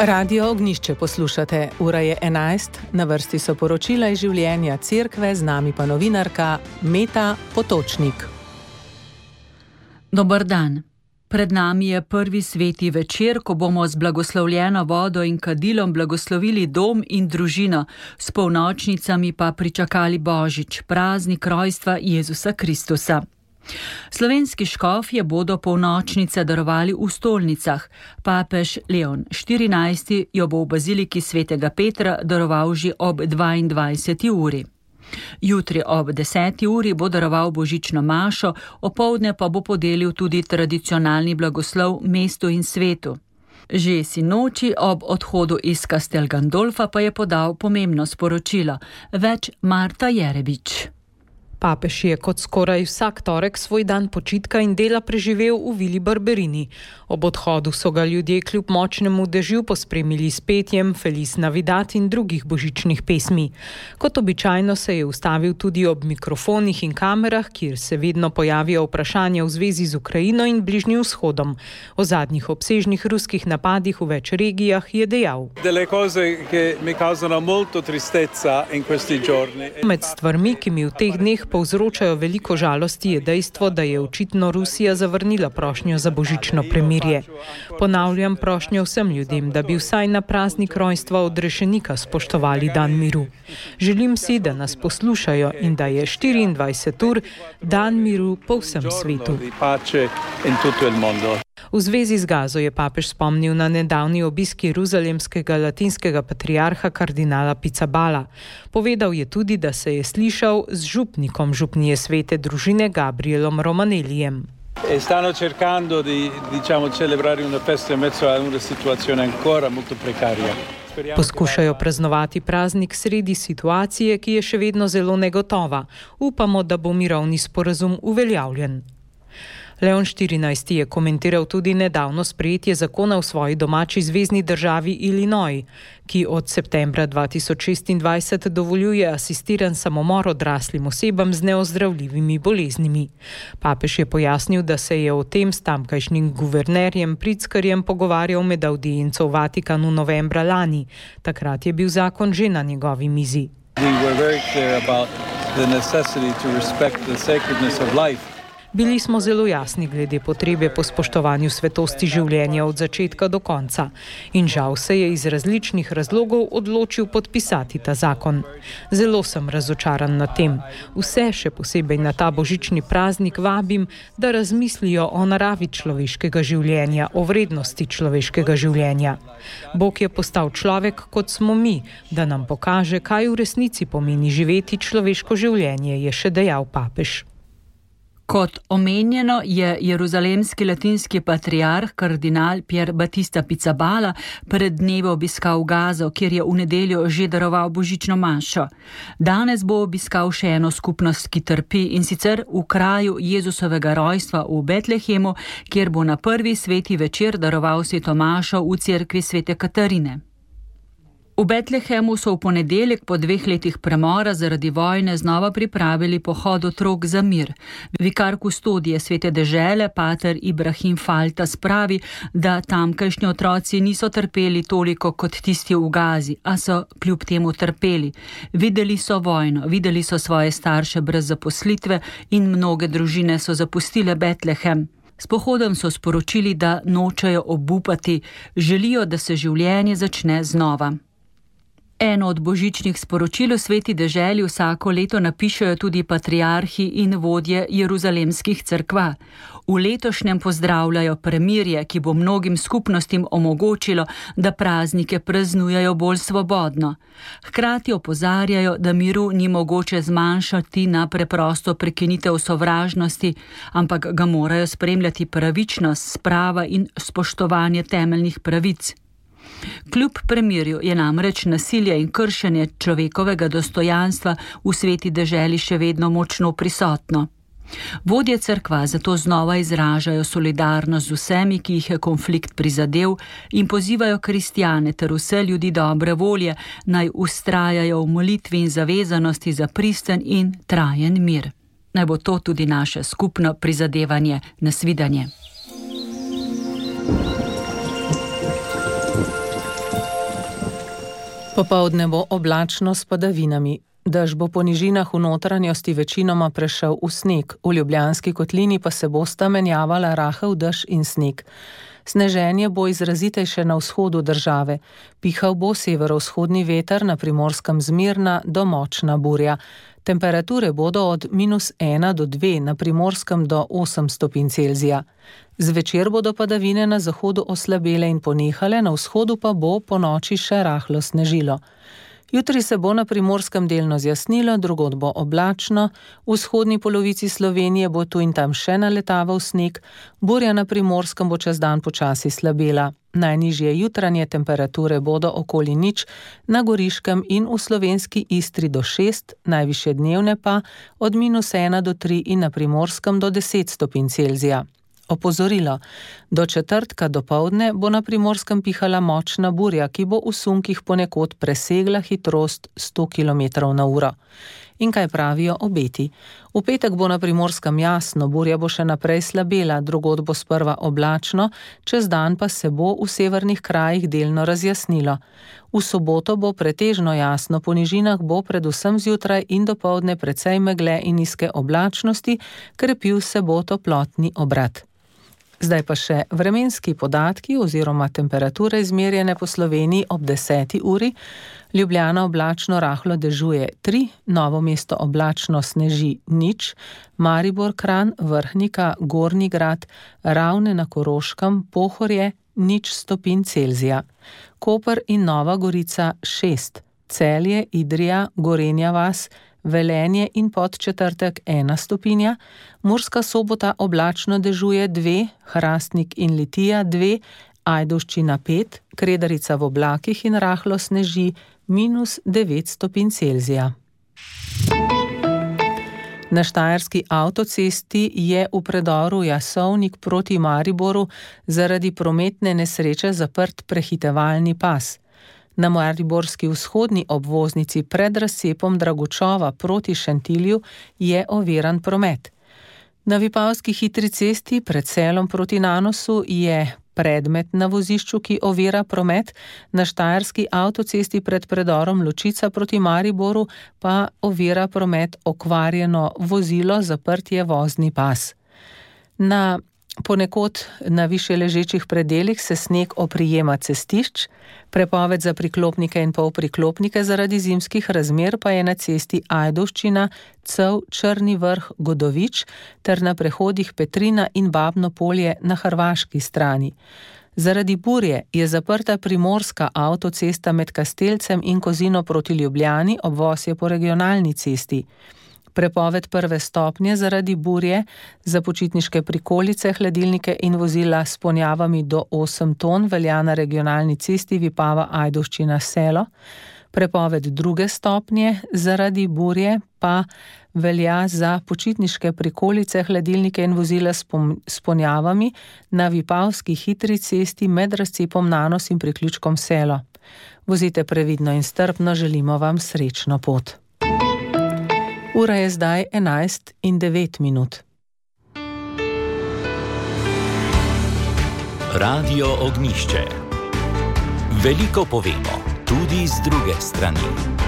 Radio Ognjišče poslušate, ura je 11, na vrsti so poročila iz življenja cerkve, z nami pa novinarka Meta Potočnik. Dober dan. Pred nami je prvi sveti večer, ko bomo z blagoslovljeno vodo in kadilom blagoslovili dom in družino, s polnočnicami pa pričakali Božič, praznik rojstva Jezusa Kristusa. Slovenski škofje bodo polnočnice darovali v stolnicah. Papež Leon XIV jo bo v baziliki svetega Petra daroval že ob 22. uri. Jutri ob 10. uri bo daroval božično mašo, opoldne pa bo podelil tudi tradicionalni blagoslov mestu in svetu. Že sinoči ob odhodu iz Castel Gandolfa pa je podal pomembno sporočilo. Več Marta Jerebič. Papež je kot skoraj vsak torek svoj dan počitka in dela preživel v Vili Barberini. Ob odhodu so ga ljudje kljub močnemu dežju pospremili s petjem Feliz Navidad in drugih božičnih pesmi. Kot običajno se je ustavil tudi ob mikrofonih in kamerah, kjer se vedno pojavijo vprašanja v zvezi z Ukrajino in Bližnjim vzhodom. O zadnjih obsežnih ruskih napadih v več regijah je dejal. Med stvarmi, ki mi v teh dneh povzročajo veliko žalosti, je dejstvo, da je očitno Rusija zavrnila prošnjo za božično premirje. Ponavljam prošnjo vsem ljudem, da bi vsaj na praznik rojstva odrešenika spoštovali dan miru. Želim si, da nas poslušajo in da je 24 ur dan miru po vsem svetu. V zvezi z Gazo je papež spomnil na nedavni obisk jeruzalemskega latinskega patriarha kardinala Pizzaballa. Povedal je tudi, da se je slišal z župnikom župnije svete družine Gabrielom Romanelijem. Stanno cercando di, celebrare una festa in mezzo a una situazione ancora molto precaria. Poskušajo praznovati praznik sredi situacije, ki je še vedno zelo negotova. Upamo, da bo mirovni sporazum uveljavljen. Leon XIV je komentiral tudi nedavno sprejetje zakona v svoji domači zvezni državi Illinois, ki od septembra 2026 dovoljuje asistiran samomor odraslim osebam z neozdravljivimi boleznimi. Papež je pojasnil, da se je o tem s tamkajšnjim guvernerjem Pritzkerjem pogovarjal med audienco v Vatikanu novembra lani. Takrat je bil zakon že na njegovi mizi. Bili smo zelo jasni glede potrebe po spoštovanju svetosti življenja od začetka do konca in žal se je iz različnih razlogov odločil podpisati ta zakon. Zelo sem razočaran nad tem. Vse, še posebej na ta božični praznik, vabim, da razmislijo o naravi človeškega življenja, o vrednosti človeškega življenja. Bog je postal človek, kot smo mi, da nam pokaže, kaj v resnici pomeni živeti človeško življenje, je še dejal papež. Kot omenjeno je jeruzalemski latinski patriarh kardinal Pier Battista Pizzaballa pred dnevi obiskal Gazo, kjer je v nedeljo že daroval božično mašo. Danes bo obiskal še eno skupnost, ki trpi, in sicer v kraju Jezusovega rojstva v Betlehemu, kjer bo na prvi sveti večer daroval sveto mašo v cerkvi svete Katarine. V Betlehemu so v ponedeljek po 2 letih premora zaradi vojne znova pripravili pohod otrok za mir. Vikar kustodije svete dežele, pater Ibrahim Falta, spravi, da tamkajšnji otroci niso trpeli toliko kot tisti v Gazi, a so kljub temu trpeli. Videli so vojno, videli so svoje starše brez zaposlitve in mnoge družine so zapustile Betlehem. S pohodom so sporočili, da nočejo obupati, želijo, da se življenje začne znova. Eno od božičnih sporočil v sveti deželi vsako leto napišejo tudi patriarhi in vodje jeruzalemskih cerkva. V letošnjem pozdravljajo premirje, ki bo mnogim skupnostim omogočilo, da praznike praznujejo bolj svobodno. Hkrati opozarjajo, da miru ni mogoče zmanjšati na preprosto prekinitev sovražnosti, ampak ga morajo spremljati pravičnost, sprava in spoštovanje temeljnih pravic. Kljub premirju je namreč nasilje in kršenje človekovega dostojanstva v sveti deželi še vedno močno prisotno. Vodje cerkva zato znova izražajo solidarnost z vsemi, ki jih je konflikt prizadel, in pozivajo kristjane ter vse ljudi dobre volje, naj vztrajajo v molitvi in zavezanosti za pristen in trajen mir. Naj bo to tudi naše skupno prizadevanje. Nasvidenje. Popoldne bo oblačno s padavinami. Dež bo po nižinah v notranjosti večinoma prešel v sneg, v Ljubljanski kotlini pa se bosta menjavala rahel dež in sneg. Sneženje bo izrazitejše na vzhodu države. Pihal bo severovzhodni veter, na Primorskem zmirna do močna burja. Temperature bodo od -1 do 2, na Primorskem do 8 stopinj Celzija. Zvečer bodo padavine na zahodu oslabele in ponehale, na vzhodu pa bo po noči še rahlo snežilo. Jutri se bo na Primorskem delno zjasnilo, drugod bo oblačno, v vzhodni polovici Slovenije bo tu in tam še naletaval sneg, burja na Primorskem bo čez dan počasi slabela. Najnižje jutranje temperature bodo okoli 0, na Goriškem in v slovenski Istri do 6, najvišje dnevne pa od -1 do 3 in na Primorskem do 10 stopinj Celzija. Opozorilo. Do četrtka dopoldne bo na Primorskem pihala močna burja, ki bo v sunkih ponekod presegla hitrost 100 km/h. In kaj pravijo obeti? V petek bo na Primorskem jasno, burja bo še naprej slabela, drugod bo sprva oblačno, čez dan pa se bo v severnih krajih delno razjasnilo. V soboto bo pretežno jasno, po nižinah bo predvsem zjutraj in dopoldne precej megle in nizke oblačnosti, krepil se bo toplotni obrat. Zdaj pa še vremenski podatki oziroma temperature izmerjene po Sloveniji ob 10. uri. Ljubljana oblačno rahlo dežuje 3, Novo mesto oblačno sneži 0, Maribor, Kranj, Vrhnika, Gornji Grad, Ravne na Koroškem, Pohorje 0 stopinj Celzija. Koper in Nova Gorica 6, Celje, Idrija, Gorenja vas, Velenje in Podčetrtek 1 stopinja, Murska Sobota oblačno dežuje 2, Hrastnik in Litija 2, Ajdovščina 5, Kredarica v oblakih in rahlo sneži -9 stopinj Celzija. Na štajerski avtocesti je v predoru Jasovnik proti Mariboru zaradi prometne nesreče zaprt prehitevalni pas. Na mariborski vzhodni obvoznici pred razcepom Dragočova proti Šentilju je oviran promet. Na Vipavski hitri cesti pred Selom proti Nanosu je predmet na vozišču, ki ovira promet, na štajerski avtocesti pred predorom Ločica proti Mariboru pa ovira promet okvarjeno vozilo, zaprt je vozni pas. Ponekod na više ležečih predelih se sneg oprijema cestišč, prepoved za priklopnike in polpriklopnike zaradi zimskih razmer pa je na cesti Ajdovščina, Cev, Črni Vrh, Godovič ter na prehodih Petrina in Babno Polje na hrvaški strani. Zaradi burje je zaprta primorska avtocesta med Kastelcem in Kozino proti Ljubljani, obvoz je po regionalni cesti. Prepoved 1. stopnje zaradi burje za počitniške prikolice, hladilnike in vozila s ponjavami do 8 ton velja na regionalni cesti Vipava Ajdovščina Selo. Prepoved 2. stopnje zaradi burje pa velja za počitniške prikolice, hladilnike in vozila s ponjavami na Vipavski hitri cesti med razcepom Nanos in priključkom Selo. Vozite previdno in strpno, želimo vam srečno pot. Ura je zdaj 11:09. Radio Ognjišče. Veliko povemo, tudi z druge strani.